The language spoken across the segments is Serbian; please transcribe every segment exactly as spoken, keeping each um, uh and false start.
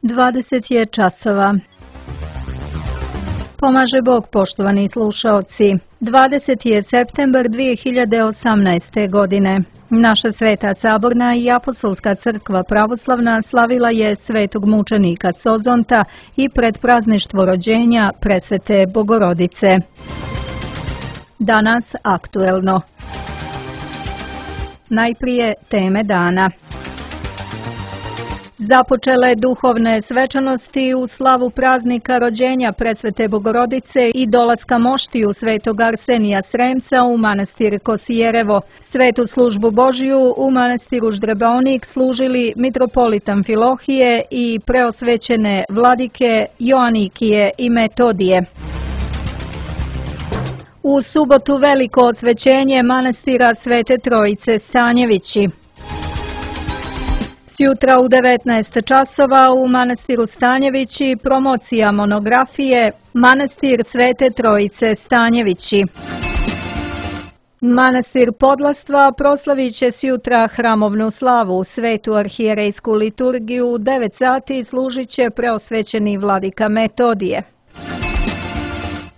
dvadeset je časova. Pomaže Bog, poštovani slušaoci. dvadeseti je septembar dvije hiljade osamnaeste. godine. Naša Sveta Saborna i Apostolska crkva pravoslavna slavila je svetog mučenika Sozonta i predprazništvo rođenja Presvete Bogorodice. Danas aktuelno. Najprije teme dana. Započele duhovne svečanosti u slavu praznika rođenja Presvete Bogorodice i dolaska moštiju svetog Arsenija Sremca u manastir Kosijerevo. Svetu službu Božiju u manastiru Ždrebaonik služili mitropolit Amfilohije i preosvećene vladike Joanikije i Metodije. U subotu veliko osvećenje manastira Svete Trojice Stanjevići. Sjutra u devetnaest časova u manastiru Stanjevići promocija monografije Manastir Svete Trojice Stanjevići. Manastir Podlastva proslavit će sjutra hramovnu slavu, svetu arhijerejsku liturgiju, u devet sati služit će preosvećeni vladika Metodije.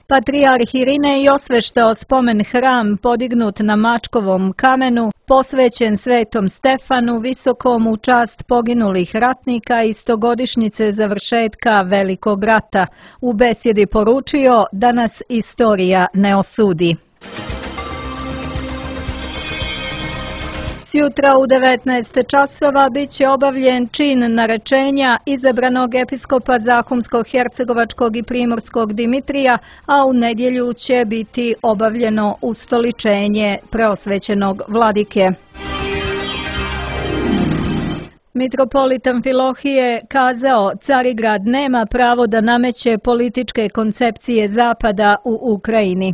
Patrijarh Irinej osveštao spomen hram podignut na Mačkovom kamenu, posvećen Svetom Stefanu Visokom u čast poginulih ratnika i stogodišnjice završetka Velikog rata. U besjedi poručio da nas istorija ne osudi. Sjutra u devetnaest časova bit će obavljen čin narečenja izabranog episkopa Zahumsko-hercegovačkog i primorskog Dimitrija, a u nedjelju će biti obavljeno ustoličenje preosvećenog vladike. Mitropolit Amfilohije kazao: Carigrad nema pravo da nameće političke koncepcije Zapada u Ukrajini.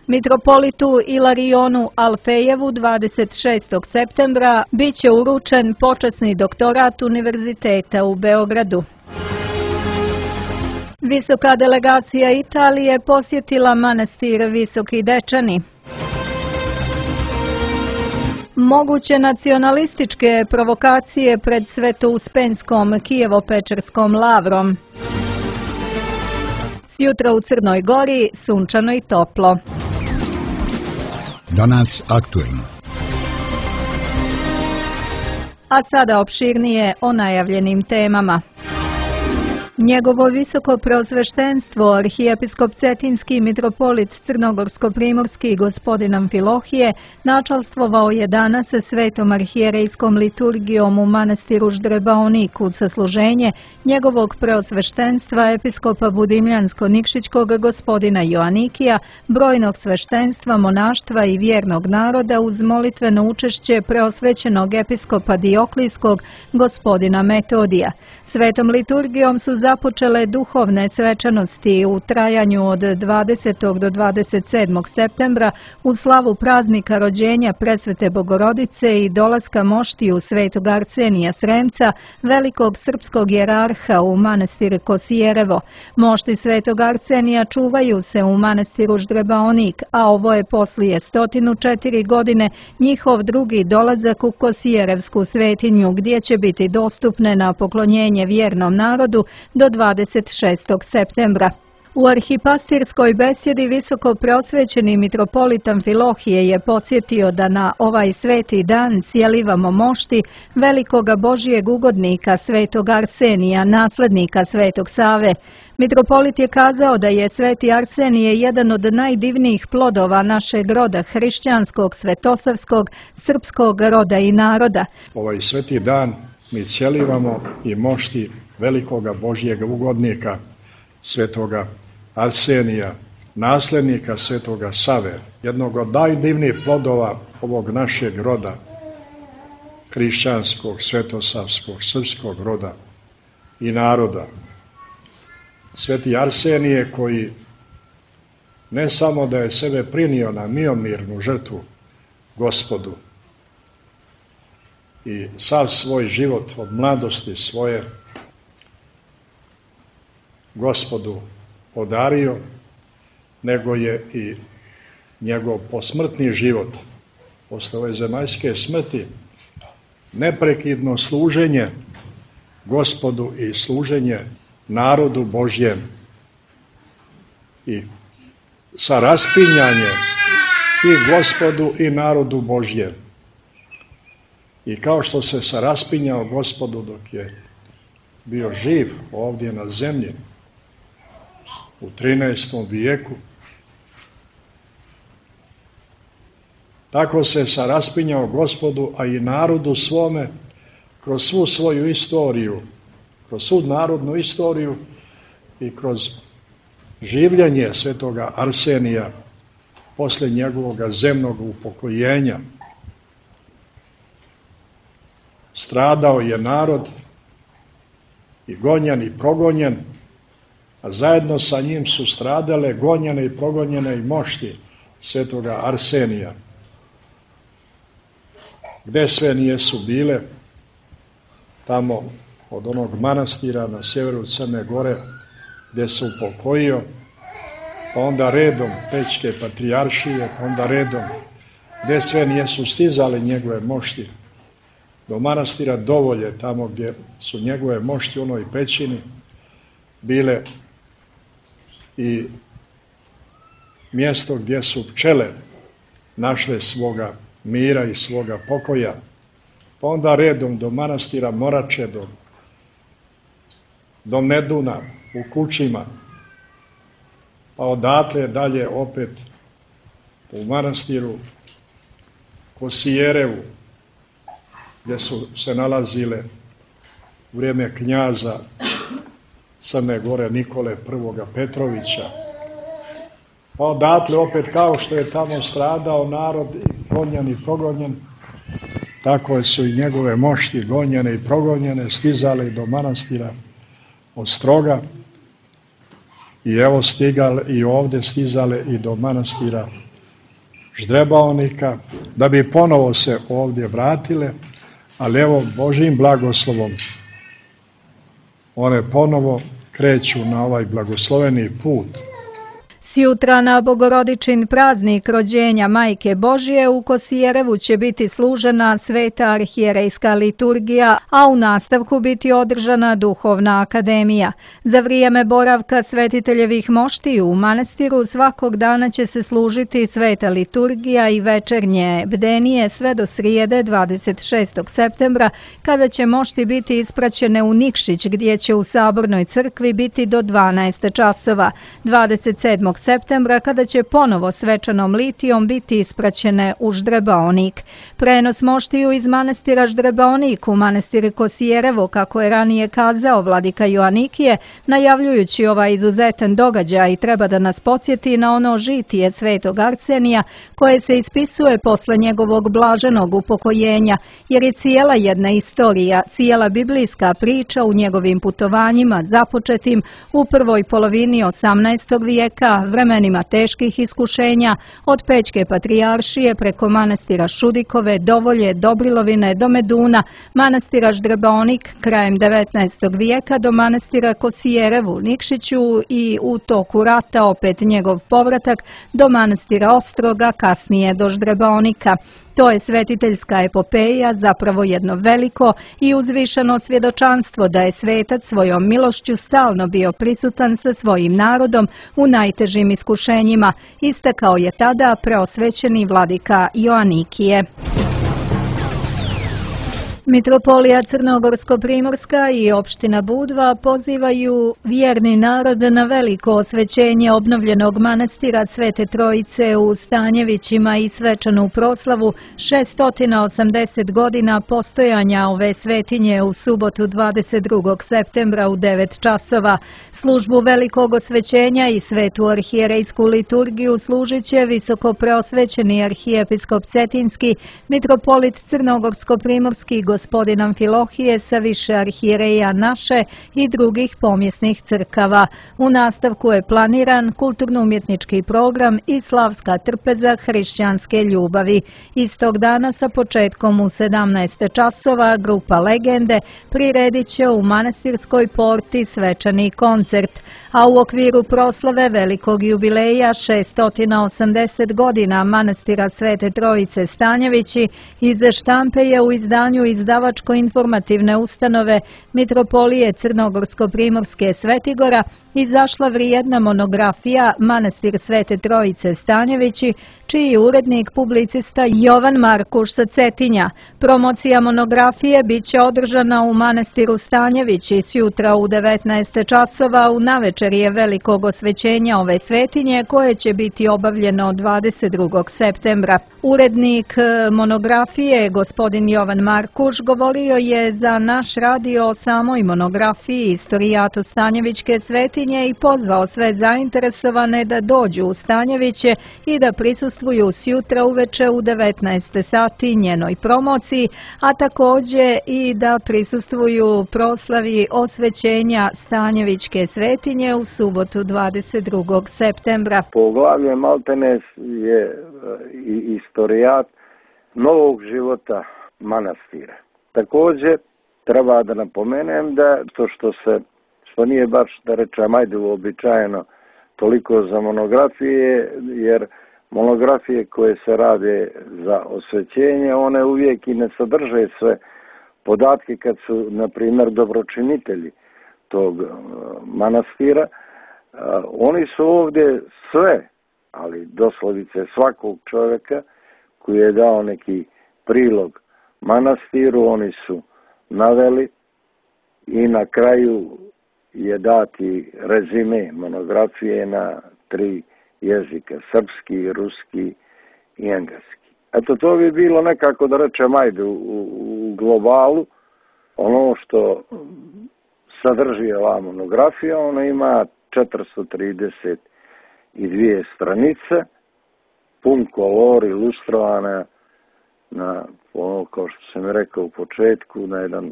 Mitropolitu Ilarionu Alfejevu dvadeset šestog septembra bit će uručen počasni doktorat Univerziteta u Beogradu. Visoka delegacija Italije posjetila manastir Visoki Dečani. Moguće nacionalističke provokacije pred Svetouspenskom Kijevo-Pečerskom lavrom. Sjutra u Crnoj Gori sunčano i toplo. Danas aktuelno. A sada opširnije o najavljenim temama. Njegovo visoko preosveštenstvo, arhijepiskop Cetinski mitropolit Crnogorsko-primorski gospodin Amfilohije, načalstvovao je danas svetom arhijerejskom liturgijom u manastiru Ždrebaonik uz sasluženje njegovog preosveštenstva episkopa Budimljansko-Nikšićkog gospodina Joanikija, brojnog sveštenstva, monaštva i vjernog naroda uz molitveno učešće preosvećenog episkopa Dioklijskog gospodina Metodija. Svetom liturgijom su započele duhovne svečanosti u trajanju od dvadesetog do dvadeset sedmog septembra u slavu praznika rođenja Presvete Bogorodice i dolaska moštiju svetog Arsenija Sremca, velikog srpskog jerarha u manastir Kosijerevo. Mošti svetog Arsenija čuvaju se u manastiru Ždrebaonik, a ovo je poslije stotinu četiri godine njihov drugi dolazak u Kosijerevsku svetinju, gdje će biti dostupne na poklonjenje vjernom narodu do dvadeset šestog septembra. U arhipastirskoj besjedi visoko preosvećeni mitropolit Amfilohije je podsjetio da na ovaj sveti dan sjelivamo mošti velikoga Božijeg ugodnika svetog Arsenija, naslednika svetog Save. Mitropolit je kazao da je sveti Arsenije jedan od najdivnijih plodova našeg roda, hrišćanskog, svetosavskog, srpskog roda i naroda. Ovaj sveti dan mi sjelivamo i mošti velikoga Božjega ugodnika, svetoga Arsenija, nasljednika svetoga Save, jednog od najdivnijih plodova ovog našeg roda, hrišćanskog, svetosavskog, srpskog roda i naroda. Sveti Arsenije koji ne samo da je sebe prinio na miomirnu žrtvu Gospodu, i sav svoj život od mladosti svoje Gospodu podario, nego je i njegov posmrtni život, posle ove zemaljske smrti, neprekidno služenje Gospodu i služenje narodu Božjem i sa raspinjanjem i Gospodu i narodu Božjem. I kao što se se raspinjao Gospodu dok je bio živ ovdje na zemlji u trinaestom vijeku, tako se se raspinjao Gospodu, a i narodu svome kroz svu svoju istoriju, kroz svu narodnu istoriju i kroz življenje svetoga Arsenija posle njegovog zemnog upokojenja. Stradao je narod i gonjen i progonjen, a zajedno sa njim su stradale, gonjene i progonjene i mošti svetoga Arsenija. Gde sve nije su bile, tamo od onog manastira na sjeveru Crne Gore, gde se upokojio, pa onda redom Pećke patrijaršije, onda redom gde sve nijesu stizale njegove mošti, do manastira Dovolje, tamo gdje su njegove mošti u onoj pećini bile i mjesto gdje su pčele našle svoga mira i svoga pokoja, pa onda redom do manastira Morače, do, do Meduna u Kučima, pa odatle dalje opet u manastiru Kosijerevu, gdje su se nalazile u vrijeme knjaza Crne Gore Nikole I. Petrovića. Pa odatle opet, kao što je tamo stradao narod gonjen i progonjen, tako su i njegove mošti gonjene i progonjene stizale do manastira Ostroga i evo stigale i ovdje stizale i do manastira Ždrebaonika, da bi ponovo se ovdje vratile, ali evo Božjim blagoslovom one ponovo kreću na ovaj blagosloveni put. Sjutra na Bogorodičin praznik rođenja Majke Božje u Kosijerevu će biti služena sveta arhijerejska liturgija, a u nastavku biti održana duhovna akademija. Za vrijeme boravka svetiteljevih moštiju u manastiru svakog dana će se služiti sveta liturgija i večernje bdenije sve do srijede dvadeset šestog septembra, kada će mošti biti ispraćene u Nikšić, gdje će u Sabornoj crkvi biti do dvanaest časova. dvadeset sedmog septembra, kada će ponovo svečanom litijom biti ispraćene u Ždrebaonik. Prenos moštiju iz manastira Ždrebaonik u manastir Kosijerevo, kako je ranije kazao vladika Joanikije, najavljujući ovaj izuzetan događaj, treba da nas podsjeti na ono žitije svetog Arsenija, koje se ispisuje posle njegovog blaženog upokojenja, jer je cijela jedna istorija, cijela biblijska priča u njegovim putovanjima započetim u prvoj polovini osamnaestog vijeka, vremenima teških iskušenja, od Pećke patrijaršije preko manastira Šudikove, Dovolje, Dobrilovine do Meduna, manastira Ždrebaonik krajem devetnaestog vijeka do manastira Kosijerevu u Nikšiću i u toku rata opet njegov povratak do manastira Ostroga, kasnije do Ždrebaonika. To je svetiteljska epopeja, zapravo jedno veliko i uzvišeno svjedočanstvo da je svetac svojom milošću stalno bio prisutan sa svojim narodom u najtežim iskušenjima, istakao je tada preosvećeni vladika Joanikije. Mitropolija Crnogorsko-primorska i opština Budva pozivaju vjerni narod na veliko osvećenje obnovljenog manastira Svete Trojice u Stanjevićima i svečanu proslavu šesto osamdeset godina postojanja ove svetinje u subotu dvadeset drugog septembra u devet časova. Službu velikog osvećenja i svetu arhijerejsku liturgiju služit će visoko preosvećeni arhijepiskop Cetinski, mitropolit Crnogorsko-primorski gospodin Amfilohije sa više arhijereja naše i drugih pomjesnih crkava. U nastavku je planiran kulturno-umjetnički program i slavska trpeza hrišćanske ljubavi. Istog dana sa početkom u sedamnaest časova grupa Legende priredit će u manastirskoj porti svečani koncert, a u okviru proslave velikog jubileja šesto osamdeset godina manastira Svete Trojice Stanjevići iz štampe je u izdanju iz izdavačko-informativne ustanove Mitropolije Crnogorsko-Primorske Svetigora izašla vrijedna monografija Manastir Svete Trojice Stanjevići, čiji je urednik publicista Jovan Markuš sa Cetinja. Promocija monografije biće održana u Manastiru Stanjevići sjutra u devetnaest časova u navečerje velikog osvećenja ove svetinje, koje će biti obavljeno dvadeset drugog septembra. Urednik monografije, gospodin Jovan Markuš, govorio je za naš radio o samoj monografiji Istorijatu Stanjevićke svetinje i pozvao sve zainteresovane da dođu u Stanjeviće i da prisustvuju sjutra uveče u devetnaest sati njenoj promociji, a također i da prisustvuju proslavi osvećenja Stanjevićke svetinje u subotu dvadeset drugog septembra. Poglavlje maltene je istorijat novog života manastira. Također treba da napomenem da to što se, što nije baš da rečem ajde uobičajeno toliko za monografije, jer monografije koje se rade za osvećenje, one uvijek i ne sadrže sve podatke kad su, na primjer, dobročinitelji tog manastira. Oni su ovdje sve, ali doslovice svakog čovjeka koji je dao neki prilog manastiru, oni su naveli i na kraju je dati rezime monografije na tri jezika, srpski, ruski i engleski. Eto, to bi bilo nekako, da rečem, ajde, u, u globalu, ono što sadrži ova monografija. Ona ima četiristo trideset dvije stranice, pun kolor, ilustrovana na, ono, kao što sam rekao u početku, na jedan,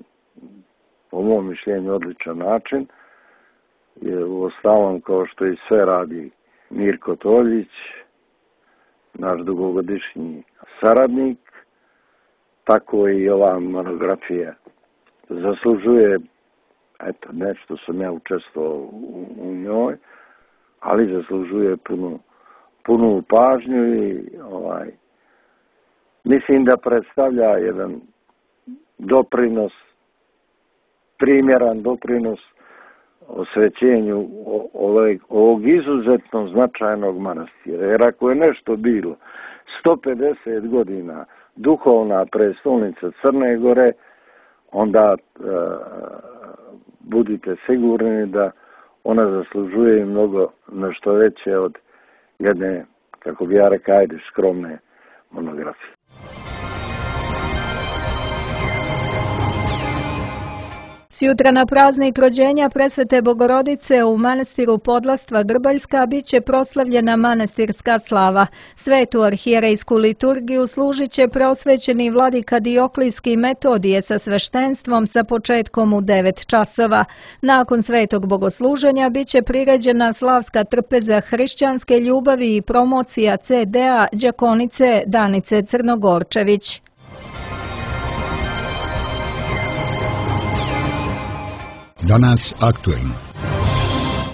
po mom mišljenju, odličan način. Je u ostalom, kao što i sve radi Mirko Toljić, naš dugogodišnji saradnik, tako i ova monografija zaslužuje, eto, nešto sam ja učestvovao u, u njoj, ali zaslužuje punu, punu pažnju i ovaj, mislim da predstavlja jedan doprinos, primjeran doprinos osvećenju ovog, ovog izuzetno značajnog manastira. Jer ako je nešto bilo sto pedeset godina duhovna prestolnica Crne Gore, onda e, budite sigurni da ona zaslužuje mnogo nešto veće od jedne, kako bi ja rekao, ajde, skromne monografije. Sjutra na praznik rođenja Presvete Bogorodice u manastiru Podlastva Grbaljska biće proslavljena manastirska slava. Svetu arhijerejsku liturgiju služit će preosvećeni vladika Dioklijski Metodije sa sveštenstvom sa početkom u devet časova. Nakon svetog bogosluženja biće priređena slavska trpeza hrišćanske ljubavi i promocija ce de a đakonice Danice Crnogorčević. Danas aktuelno.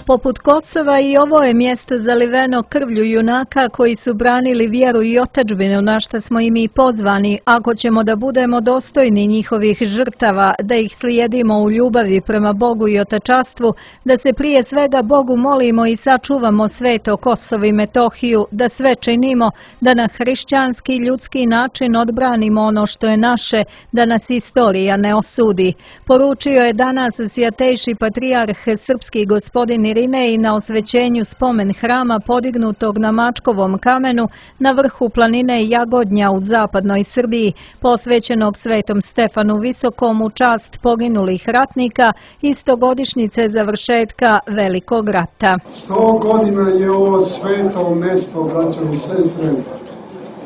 Poput Kosova i ovo je mjesto zaliveno krvlju junaka koji su branili vjeru i otadžbinu, na što smo i mi pozvani, ako ćemo da budemo dostojni njihovih žrtava, da ih slijedimo u ljubavi prema Bogu i otačastvu, da se prije svega Bogu molimo i sačuvamo sveto Kosovo i Metohiju, da sve činimo, da na hrišćanski ljudski način odbranimo ono što je naše, da nas istorija ne osudi. Poručio je danas svjatejši patrijarh srpski gospodin Irinej na osvećenju spomen hrama podignutog na Mačkovom kamenu na vrhu planine Jagodnja u zapadnoj Srbiji, posvećenog Svetom Stefanu Visokom u čast poginulih ratnika i stogodišnjice završetka Velikog rata. Sto godina je ovo sveto mesto, braćo i sestre,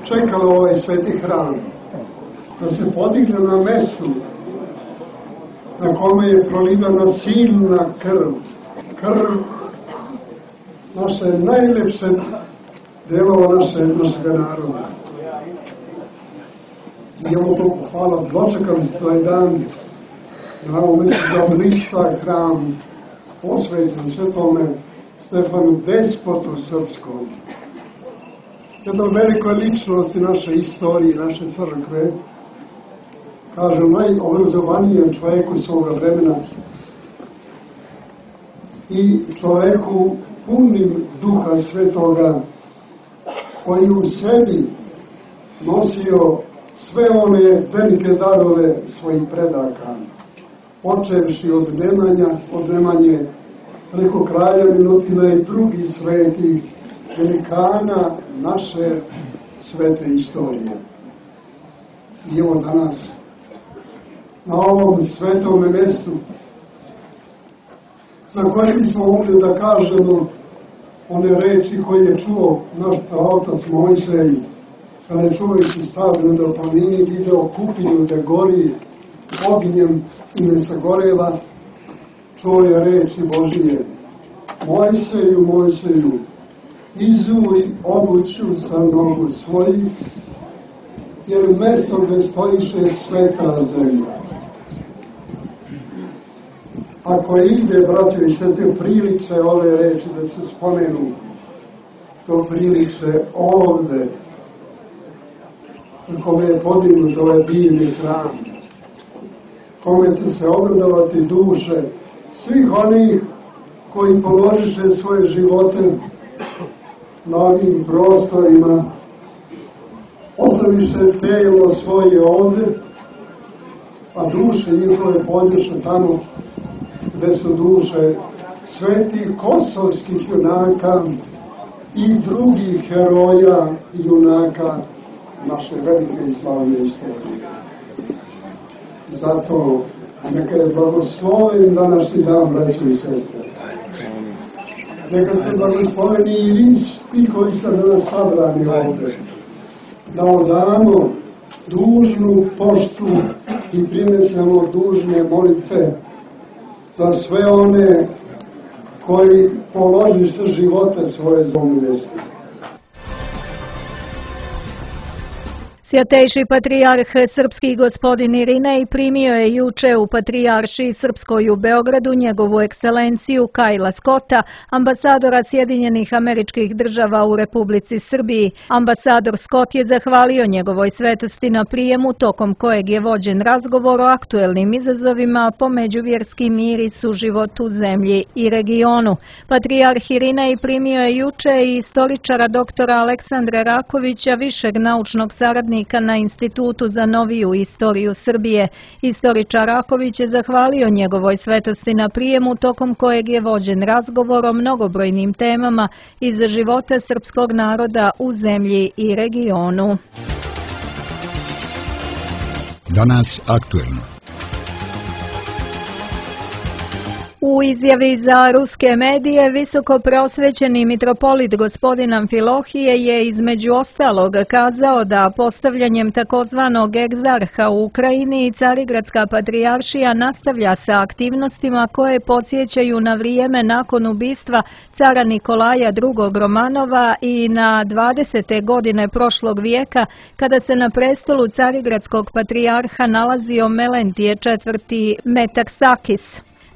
čekalo ovaj sveti hram da se podigne na mestu na kome je prolivana silna krv. Krv naše najlepše delova naše, našega naroda. I ovo to, hvala, dočekali ste ovaj dan na ovom mestu da oblistva hram posvećen Svetome Stefanu Despotu Srpskom. Jedna velikoj ličnosti naše istorije, naše crkve, kažem, najobrazovanijem čovjeku svoga vremena i čovjeku punim Duha Svetoga, koji u sebi nosio sve one velike darove svojih predaka, počevši od Nemanja, od Nemanje preko kralja Milutina i drugih svetih velikana naše svete istorije. I evo danas, na ovom svetome mjestu, za koje bismo mogli da kažemo one reči koje je čuo naš otac Mojsej, kada je čovjeku stavljeno da planini video kupinju da gori ognjem i ne sagoreva, čuo je reči Božije: Mojseju, Mojseju, izuj obuću sa nogu svojih, jer mjesto gdje stojiše sveta zemlja. Ako ide, braćo i sestre, priliče ove reči da se spomenu, to priliče ovde, kome je podignut ovaj divni hram, kome će se obradovati duše svih onih koji položiše svoje živote na ovim prostorima, ostaviše telo svoje ovde, a duše njihove podješe tamo gde su duše svetih kosovskih junaka i drugih heroja i junaka naše velike i slavne istorije. Zato neka je blagosloven današnji dan, braćo i sestre. Neka ste blagosloveni i vi svi koji ste danas sabrani ovde, da odamo dužnu poštu i prinesemo dužne molitve za sve one koji položiše živote svoje za ovom mjestu. Svjatejši patrijarh srpski gospodin Irinej primio je juče u Patrijaršiji Srpskoj u Beogradu njegovu ekscelenciju Kajla Skota, ambasadora Sjedinjenih Američkih Država u Republici Srbiji. Ambasador Skot je zahvalio njegovoj svetosti na prijemu, tokom kojeg je vođen razgovor o aktuelnim izazovima po međuvjerski mir i suživot u zemlji i regionu. Patrijarh Irinej primio je juče i istoričara doktora Aleksandra Rakovića, višeg naučnog saradnika na Institutu za noviju istoriju Srbije. Istoričar Raković je zahvalio njegovoj svetosti na prijemu, tokom kojeg je vođen razgovor o mnogobrojnim temama iz života srpskog naroda u zemlji i regionu. Danas aktuelno. U izjavi za ruske medije visoko preosvećeni mitropolit gospodin Amfilohije je između ostalog kazao da postavljanjem takozvanog egzarha u Ukrajini i Carigradska patrijaršija nastavlja sa aktivnostima koje podsjećaju na vrijeme nakon ubistva cara Nikolaja drugog Romanova i na dvadesete godine prošlog vijeka, kada se na prestolu Carigradskog patrijarha nalazio Melentije četvrti Metaksakis.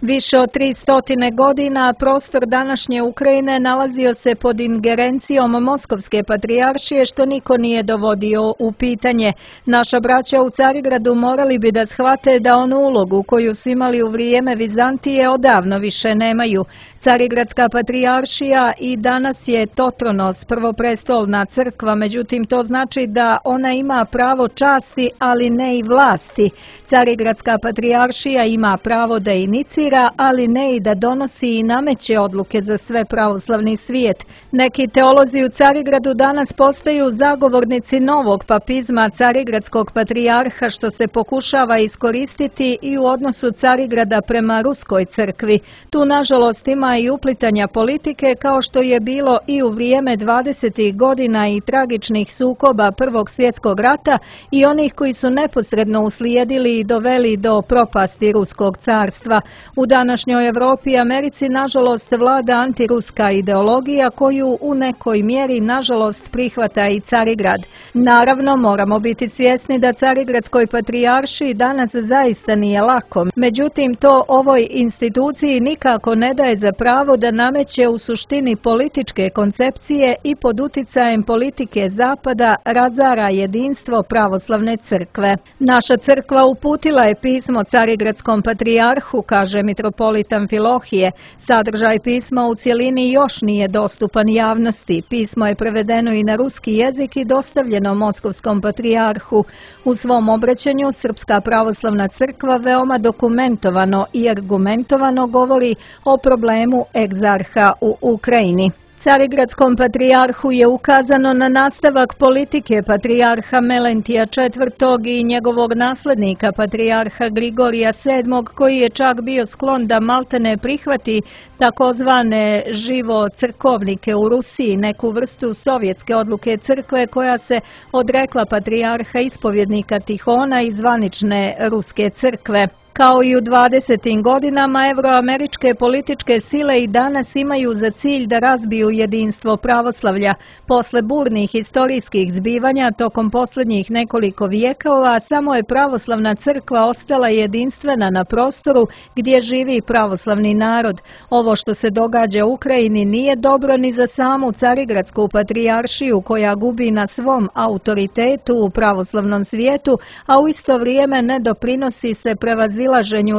Više od tri stotine godina prostor današnje Ukrajine nalazio se pod ingerencijom Moskovske patrijaršije, što niko nije dovodio u pitanje. Naša braća u Carigradu morali bi da shvate da onu ulogu koju su imali u vrijeme Vizantije odavno više nemaju. Carigradska patrijaršija i danas je Totronos, prvoprestolna crkva, međutim to znači da ona ima pravo časti, ali ne i vlasti. Carigradska patrijaršija ima pravo da inicira, ali ne i da donosi i nameće odluke za sve pravoslavni svijet. Neki teolozi u Carigradu danas postaju zagovornici novog papizma Carigradskog patrijarha, što se pokušava iskoristiti i u odnosu Carigrada prema Ruskoj crkvi. Tu nažalost ima i uplitanja politike, kao što je bilo i u vrijeme dvadesetih godina i tragičnih sukoba Prvog svjetskog rata i onih koji su neposredno uslijedili i doveli do propasti Ruskog carstva. U U današnjoj Evropi i Americi nažalost vlada antiruska ideologija koju u nekoj mjeri nažalost prihvata i Carigrad. Naravno, moramo biti svjesni da Carigradskoj patrijaršiji danas zaista nije lako. Međutim, to ovoj instituciji nikako ne daje za pravo da nameće u suštini političke koncepcije i pod uticajem politike Zapada razara jedinstvo pravoslavne crkve. Naša crkva uputila je pismo Carigradskom patrijarhu, kaže mitropolit Amfilohije. Sadržaj pisma u cjelini još nije dostupan javnosti. Pismo je prevedeno i na ruski jezik i dostavljeno Moskovskom patrijarhu. U svom obraćanju Srpska pravoslavna crkva veoma dokumentovano i argumentovano govori o problemu egzarha u Ukrajini. Carigradskom patrijarhu je ukazano na nastavak politike patrijarha Melentija četvrtog i njegovog naslednika patrijarha Grigorija sedmog, koji je čak bio sklon da maltene prihvati takozvane živo crkovnike u Rusiji, neku vrstu sovjetske odluke crkve koja se odrekla patrijarha ispovjednika Tihona i zvanične ruske crkve. Kao i u dvadesetim godinama, evroameričke političke sile i danas imaju za cilj da razbiju jedinstvo pravoslavlja. Posle burnih historijskih zbivanja tokom posljednjih nekoliko vijekova, samo je pravoslavna crkva ostala jedinstvena na prostoru gdje živi pravoslavni narod. Ovo što se događa u Ukrajini nije dobro ni za samu Carigradsku patrijaršiju koja gubi na svom autoritetu u pravoslavnom svijetu, a u isto vrijeme ne doprinosi se prevazilaženju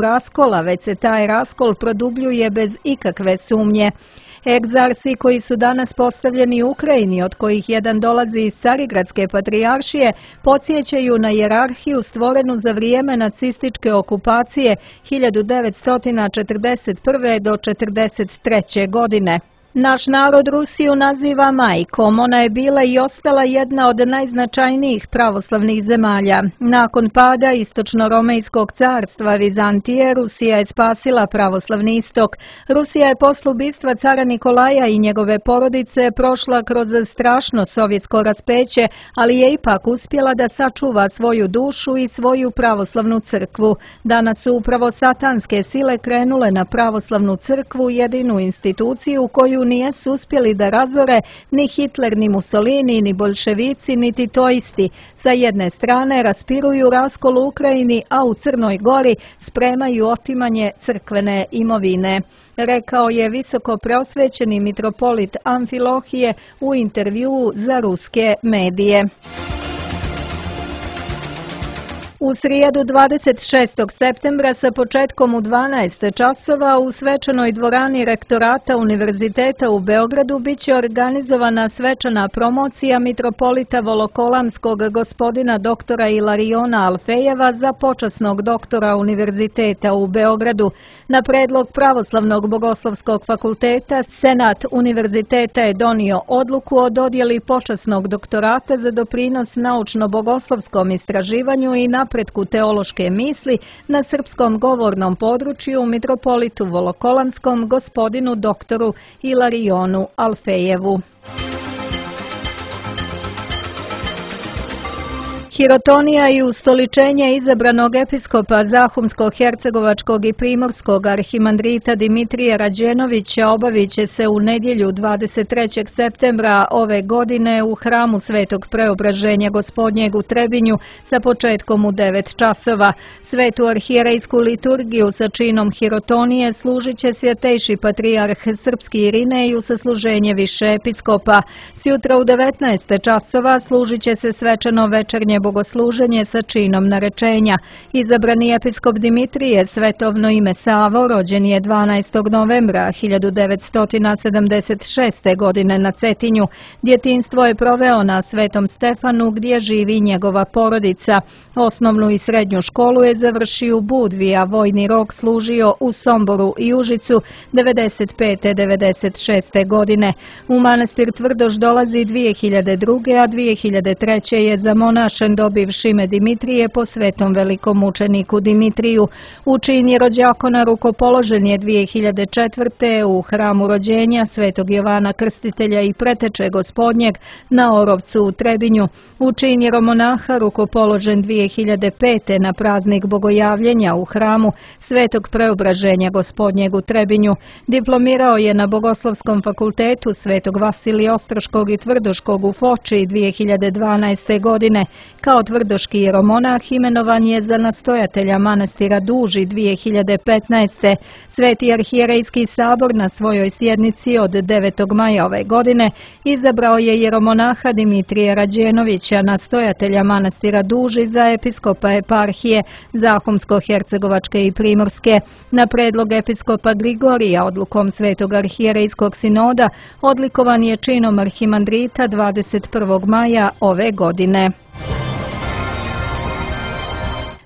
raskola, već se taj raskol produbljuje bez ikakve sumnje. Egzarsi koji su danas postavljeni u Ukrajini, od kojih jedan dolazi iz Carigradske patrijaršije, podsjećaju na hijerarhiju stvorenu za vrijeme nacističke okupacije hiljadu devetsto četrdeset prve do četrdeset treće godine. Naš narod Rusiju naziva majkom, ona je bila i ostala jedna od najznačajnijih pravoslavnih zemalja. Nakon pada Istočno-Romejskog carstva Vizantije, Rusija je spasila pravoslavni istok. Rusija je posle ubistva cara Nikolaja i njegove porodice prošla kroz strašno sovjetsko raspeće, ali je ipak uspjela da sačuva svoju dušu i svoju pravoslavnu crkvu. Danas su upravo satanske sile krenule na pravoslavnu crkvu, jedinu instituciju koju nijesu uspjeli da razore ni Hitler, ni Mussolini, ni boljševici, ni titoisti. Sa jedne strane raspiruju raskol u Ukrajini, a u Crnoj Gori spremaju otimanje crkvene imovine, rekao je visoko preosvećeni mitropolit Amfilohije u intervjuu za ruske medije. U srijedu dvadeset šestog septembra sa početkom u dvanaest časova u svečanoj dvorani rektorata Univerziteta u Beogradu biće organizovana svečana promocija mitropolita Volokolamskog gospodina doktora Ilariona Alfejeva za počasnog doktora Univerziteta u Beogradu. Na predlog Pravoslavnog bogoslovskog fakulteta, Senat Univerziteta je donio odluku o dodjeli počasnog doktorata za doprinos naučno-bogoslovskom istraživanju i napretku teološke misli na srpskom govornom području mitropolitu Volokolamskom gospodinu doktoru Ilarionu Alfejevu. Hirotonija i ustoličenje izabranog episkopa Zahumsko-hercegovačkog i primorskog arhimandrita Dimitrija Rađenovića obavit će se u nedjelju dvadeset trećeg septembra ove godine u hramu Svetog Preobraženja Gospodnjeg u Trebinju sa početkom u devet časova. Svetu arhijerejsku liturgiju sa činom hirotonije služit će svjetejši patrijarh srpski Irinej u sasluženje više episkopa. Sjutra u devetnaest časova služit će se svečano večernje bogosluženje sa činom narečenja. Izabrani episkop Dimitrije, svetovno ime Savo, rođen je dvanaestog novembra hiljadu devetsto sedamdeset šeste. godine na Cetinju. Djetinjstvo je proveo na Svetom Stefanu gdje živi njegova porodica. Osnovnu i srednju školu je završio u Budvi, a vojni rok služio u Somboru i Užicu devedeset pete do devedeset šeste. godine. U manastir Tvrdoš dolazi dvije hiljade druge. a dvije hiljade treće. je zamonašen poklon dobivši ime Dimitrije po svetom velikom mučeniku Dimitriju. U čini rođakona rukopoložen je dvije hiljade četvrte. u hramu rođenja svetog Jovana Krstitelja i preteče gospodnjeg na Orovcu u Trebinju. U čin jeromonaha rukopoložen dvije hiljade pete. na praznik Bogojavljenja u hramu Svetog Preobraženja gospodnjeg u Trebinju. Diplomirao je na Bogoslovskom fakultetu Svetog Vasilija Ostroškog i Tvrdoškog u Foči dvije hiljade dvanaeste. godine. Kao tvrdoški jeromonah imenovan je za nastojatelja manastira Duži dvije hiljade petnaeste. Sveti arhijerejski sabor na svojoj sjednici od devetog maja ove godine izabrao je jeromonaha Dimitrija Rađenovića, nastojatelja manastira Duži, za episkopa eparhije Zahumsko-Hercegovačke i Primorske. Na predlog episkopa Grigorija odlukom Svetog arhijerejskog sinoda odlikovan je činom arhimandrita dvadeset prvog maja ove godine.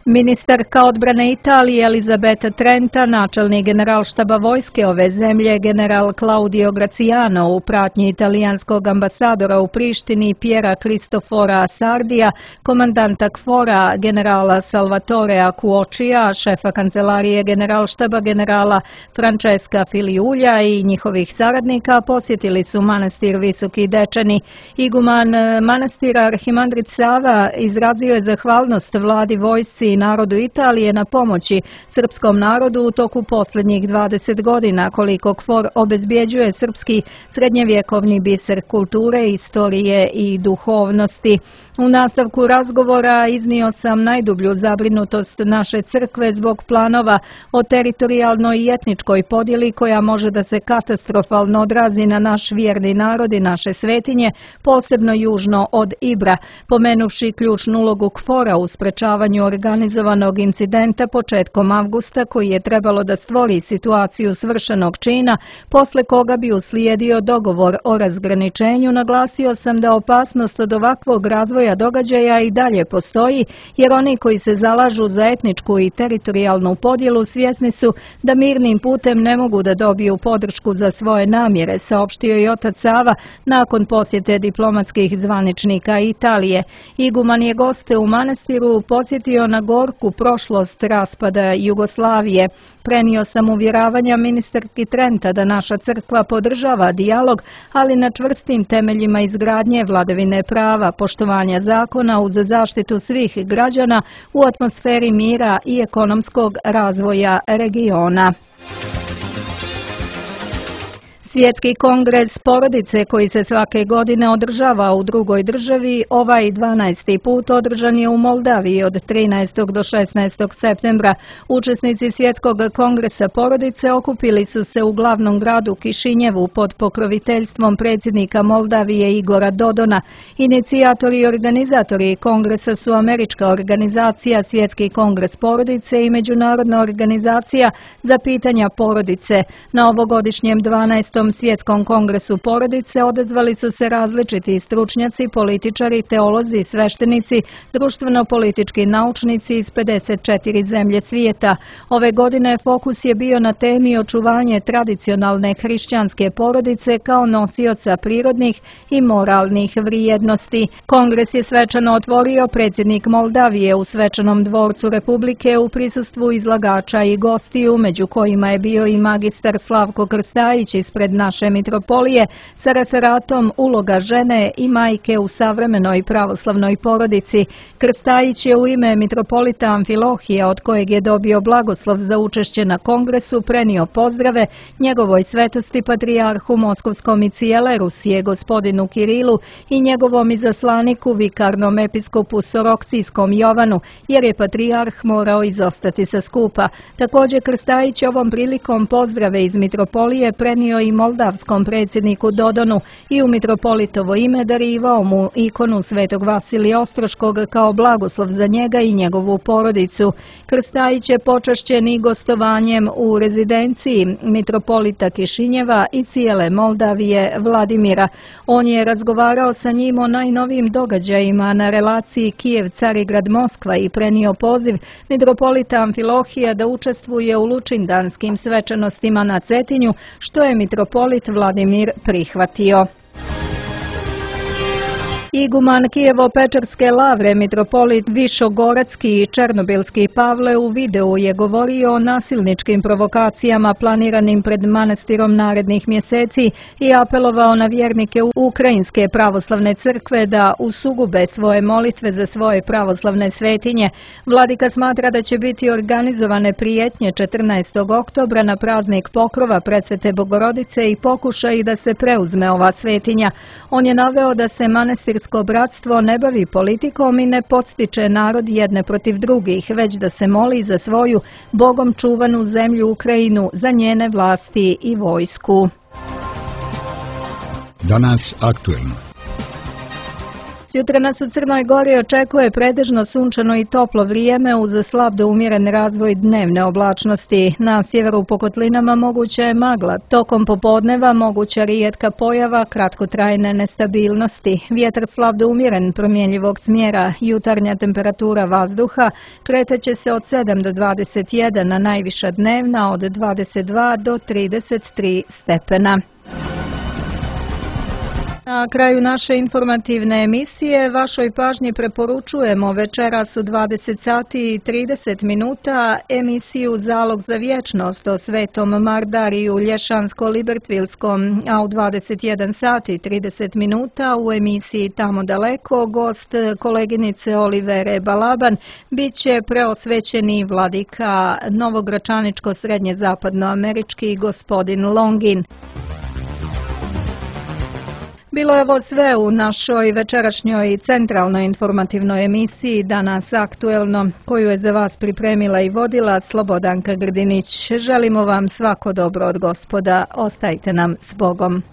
Ministarka odbrane Italije Elizabeta Trenta, načelnik generalštaba vojske ove zemlje general Claudio Graziano u pratnji italijanskog ambasadora u Prištini Piera Cristofora Sardija, komandanta KFOR-a generala Salvatorea Cuočija, šefa kancelarije generalštaba generala Francesca Filiulja i njihovih saradnika posjetili su manastir Visoki Dečani. Iguman manastira arhimandrit Sava izrazio je zahvalnost vladi, vojsci i narodu Italije na pomoći srpskom narodu u toku posljednjih dvadeset godina, koliko KFOR obezbjeđuje srpski srednjevjekovni biser kulture, istorije i duhovnosti. U nastavku razgovora iznio sam najdublju zabrinutost naše crkve zbog planova o teritorijalnoj i etničkoj podjeli koja može da se katastrofalno odrazi na naš vjerni narod i naše svetinje, posebno južno od Ibra, pomenuvši ključnu ulogu KFOR-a u sprečavanju organizovanog incidenta početkom avgusta koji je trebalo da stvori situaciju svršenog čina, posle koga bi uslijedio dogovor o razgraničenju. Naglasio sam da opasnost od ovakvog razvoja događaja i dalje postoji, jer oni koji se zalažu za etničku i teritorijalnu podjelu svjesni su da mirnim putem ne mogu da dobiju podršku za svoje namjere, saopštio je otac Sava nakon posjete diplomatskih zvaničnika Italije. Iguman je goste u manastiru podsjetio na gorku prošlost raspada Jugoslavije. Prenio sam uvjeravanja ministarki Trenta da naša crkva podržava dijalog, ali na čvrstim temeljima izgradnje vladavine prava, poštovanja zakona uz zaštitu svih građana u atmosferi mira i ekonomskog razvoja regiona. Svjetski kongres porodice koji se svake godine održava u drugoj državi, ovaj dvanaesti put održan je u Moldaviji od trinaestog do šesnaestog septembra. Učesnici Svjetskog kongresa porodice okupili su se u glavnom gradu Kišinjevu pod pokroviteljstvom predsjednika Moldavije Igora Dodona. Inicijatori i organizatori kongresa su američka organizacija Svjetski kongres porodice i Međunarodna organizacija za pitanja porodice. Na ovogodišnjem dvanaestom Svjetskom kongresu porodice odazvali su se različiti stručnjaci, političari, teolozi, sveštenici, društveno-politički naučnici iz pedeset četiri zemlje svijeta. Ove godine fokus je bio na temi očuvanje tradicionalne hrišćanske porodice kao nosioca prirodnih i moralnih vrijednosti. Kongres je svečano otvorio predsjednik Moldavije u svečanom dvorcu Republike u prisustvu izlagača i gostiju, među kojima je bio i magistar Slavko Krstajić ispred naše mitropolije sa referatom Uloga žene i majke u savremenoj pravoslavnoj porodici. Krstajić je u ime mitropolita Amfilohija, od kojeg je dobio blagoslov za učešće na kongresu, prenio pozdrave njegovoj svetosti patrijarhu Moskovskom i cijele Rusije gospodinu Kirilu i njegovom izaslaniku vikarnom episkopu Soroksijskom Jovanu, jer je patrijarh morao izostati sa skupa. Također Krstajić ovom prilikom pozdrave iz mitropolije prenio i moldavskom predsjedniku Dodonu i u mitropolitovo ime darivao mu ikonu Svetog Vasilija Ostroškog kao blagoslov za njega i njegovu porodicu. Krstajić je počašćen i gostovanjem u rezidenciji mitropolita Kišinjeva i cijele Moldavije Vladimira. On je razgovarao sa njim o najnovijim događajima na relaciji Kijev-Carigrad-Moskva i prenio poziv mitropolita Amfilohija da učestvuje u lučindanskim svečanostima na Cetinju, što je mitropolit Vladimir prihvatio. Iguman Kijevo-Pečarske lavre, mitropolit Višogoradski i Černobilski Pavle u videu je govorio o nasilničkim provokacijama planiranim pred manastirom narednih mjeseci i apelovao na vjernike Ukrajinske pravoslavne crkve da usugube svoje molitve za svoje pravoslavne svetinje. Vladika smatra da će biti organizovane prijetnje četrnaestog oktobra na praznik Pokrova Presvete Bogorodice i pokušaj da se preuzme ova svetinja. On je naveo da se manastir bratstvo ne bavi politikom i ne podstiče narod jedne protiv drugih, već da se moli za svoju Bogom čuvanu zemlju Ukrajinu, za njene vlasti i vojsku. Danas aktuelno. Sutra nas u Crnoj Gori očekuje pretežno sunčano i toplo vrijeme uz slab do umjeren razvoj dnevne oblačnosti. Na sjeveru po kotlinama moguća je magla. Tokom popodneva moguća rijetka pojava kratkotrajne nestabilnosti. Vjetar slab do umjeren promjenjivog smjera. Jutarnja temperatura vazduha kretaće se od sedam do dvadeset jedan, a najviša dnevna od dvadeset dva do trideset tri stepena. Na kraju naše informativne emisije vašoj pažnji preporučujemo večeras u dvadeset sati i trideset minuta emisiju Zalog za vječnost o Svetom Mardariju Lješansko-Libertvilskom, a u dvadeset jedan sati i trideset minuta u emisiji Tamo daleko gost koleginice Olivere Balaban bit će preosvećeni vladika novogračaničko-srednje zapadnoamerički gospodin Longin. Bilo je ovo sve u našoj večerašnjoj centralnoj informativnoj emisiji Danas aktuelno, koju je za vas pripremila i vodila Slobodanka Grdinić. Želimo vam svako dobro od Gospoda. Ostajte nam s Bogom.